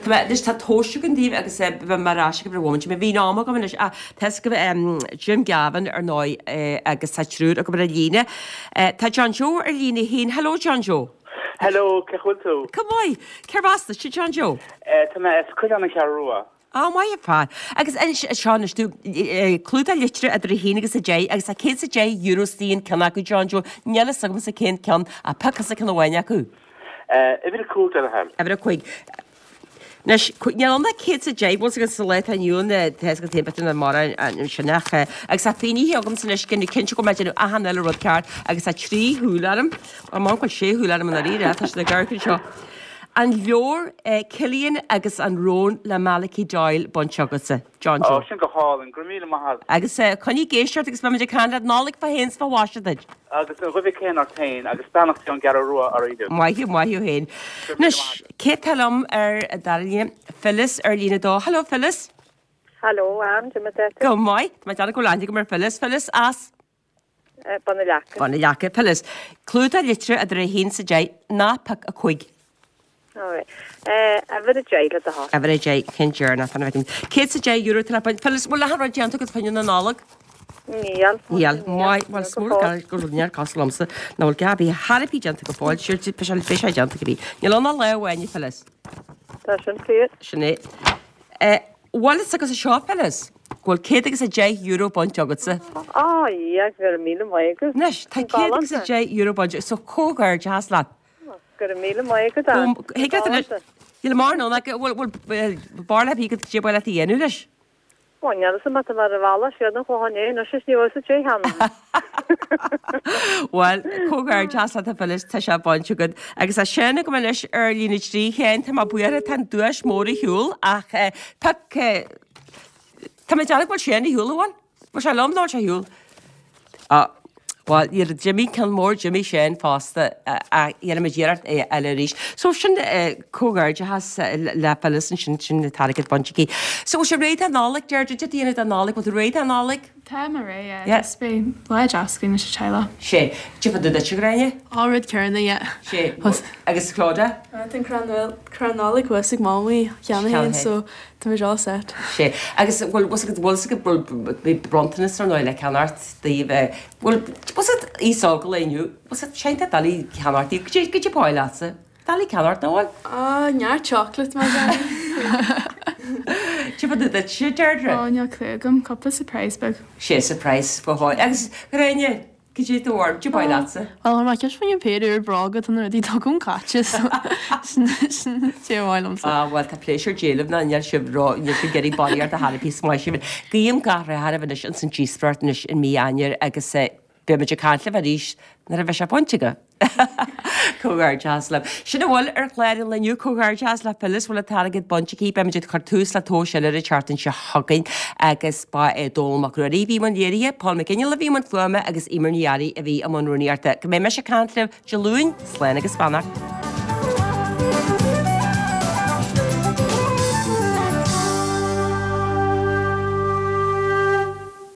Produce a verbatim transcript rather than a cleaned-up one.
Tá mé anois tá tomhais againn daoibh agus beidh mé ar ais agaibh ar mhóimint. Má bhíonn am agam anois ach tá fhios agaibh Jim Gavin ar ndóigh agus tá triúr agaibh ar an líne. Tá John Joe ar líne a haon. Hello John Joe. Hello, cén chaoi a bhfuil tú? Go maith. Cérbh as duit, John Joe? Tá mé as Coileán na Ceathrún Rua. Á, maith an fear. Agus anois, seo anois tú, clúdach litreach idir a haon agus a deich agus tá céad is a deich euro istigh in ceann acu, John Joe. Níl fhios agamsa cén ceann, ach pioc thusa ceann amháin acu. Uimhir a cúig, le do thoil. Uimhir a cúig. Anois, níl ann ach céad is a deich, bhfuil fhios agat sa lá atá inniu ann, tá fhios agat féin b'fhéidir nach mórán sin ach, agus tá fínithe agamsa anois, déanamh cinnte go bhfuil mé ag déanamh achan uile rud ceart agus tá trí shúil orm, bhuel, m'anam go bhfuil sé shúil orm i ndáiríre, tá siad ag amharc anseo. An leabhar Cillian agus an Rón le Malachy Doyle bainte agatsa, John Joe. Ó, sin go hálainn. Go raibh míle maith agat. Agus coinnigh ag éisteacht agus beimid ag caint leat. Nollaig fá shéan 's fá mhaise duit. Agus an dhuibhe céanna ort féin agus beannacht Dé ón gCeathrú Rua oraibh. Maith thú, maith thú féin. Anois, cé atá liom ar an dara líne? Phyllis ar líne a dó. Hello Phyllis. Hello Ann, cad é mar atá tú? Go maith. Tá mé ag déanamh go bhfuil aithne agam ar Phyllis. Phyllis as? Bun na Leaca. Bun na Leaca. Phyllis, clúdach litreach idir a haon 's a deich, ná pioc a cúig. Alright. Uimhir a deich le do thoil. Uimhir a deich, ceann deireanach, fan a bhfeicim. Céad 's a deich euro atá le baint. Phyllis, bhfuil achan rud déanta agat fá choinne na Nollag? Níl. Níl. Maith, bhuel, is mór go go bhfuil neart cosúil liomsa nach bhfuil gabby thar a bith déanta go fóill. Sure, beidh sé beidh sé déanta cibé. Níl ann ach lá amháin, a Phyllis. Tá sin fíor. Sin é. Bhfuil fhios agatsa seo, Phyllis, go bhfuil céad agus a deich euro bainte agatsa. Á, yeah, go raibh míle maith agat. Anois, tá céad agus a deich euro bainte, so comhghairdeachas leat. Go raibh míle maith agat, Ann. Thig leat anois, níl mórán ann ach bhfuil, bhfuil, barúil ar bith agat cad é ba mhaith leat a dhéanamh leis? Bhuel, níl fhios agam tá mé ar an bhealach siar don Chlochán Liath anois is ní bhfuil sa dé cheana. Bhuel, comhghairdeachas leat a Phyllis, tá sé bainte agat. Agus tá Seán agam anois ar líne trí, Sheáin, tá mé buartha, tá an duais mór ar shiúl ach pioc, tá mé ag déanamh go bhfuil Seán ar shiúl, an bhfuil? Bhfuil sé liom nó bhfuil sé ar shiúl? Á, bhuel, d'imigh ceann mór, d'imigh Seán fosta, ach déanfaimid iarracht é a fháil arís. So sin comhghairdeachas le Phyllis ansin, sin an t-airgead bainte aici. So bhfuil sé réidh don Nollaig, Deirdre, cad é tú a dhéanamh don Nollaig, bhfuil tú réidh don Nollaig? Tá mé réidh, yeah. Yeah. Just beidh lá deas againn leis an teaghlach. Sé. Cad é fá dtaobh duitse, a Ghráinne? Á, rud céanna, yeah. Sé. Agus Clodagh? Tá an crann, crann Nollag thuas ag Mamaí cheana féin, so Tá muid all set. Sé. Agus bhfuil, bhfuil bhfuil fhios agat, bhfuil, bhí bronntanas ar ndóigh le ceannacht daoibh, bhfuil, bhfuil fhios agat aos óg an lae inniu, bhfuil fhios agat, sé tá doiligh ceannacht daoibh, goidé, goidé ba mhaith leatsa? Doiligh ceannacht nó bhfuil? Ah, neart chocolate mar sin. Cad é fá dtaobh duitse, Deirdre? Ó, níl clue agam, cúpla surprise beag. Sé surprise go háil. Agus Gráinne? Cad é do bharúil, cad é ba mhaith leatsa? Bhuel, chuir mé ceist faoin péire úr bróga, tá na rudaí dogún caite so sin sin é a mhaith liomsa. Ah bhuel tá pléisiúr Dé libh ná níl sibh ró, níl sibh ag iarraidh barraíocht a thairfí is maith sibh. Guím gach rath oraibh anois ins an díospóireacht anois in mí Eanáir agus beidh muid ag caint libh arís nuair a bheidh sé bainte agaibh. Comhghairdeas libh. Sin a bhfuil ar chlár an lae inniu. Comhghairdeas le Phyllis, bhfuil an t-airgead bainte aici. Beimid ag cur tús le tomhais eile an tseachtain seo chugainn agus ba é Dónall Mac Ruairí a bhí i mbun léirithe, Paul McGinley a bhí i mbun fuaime agus Eimear Ní Fhearraigh a bhí i mbun rúnaíochta. Go mbeidh mise ag caint libh Dé Luain, slán agus beannacht.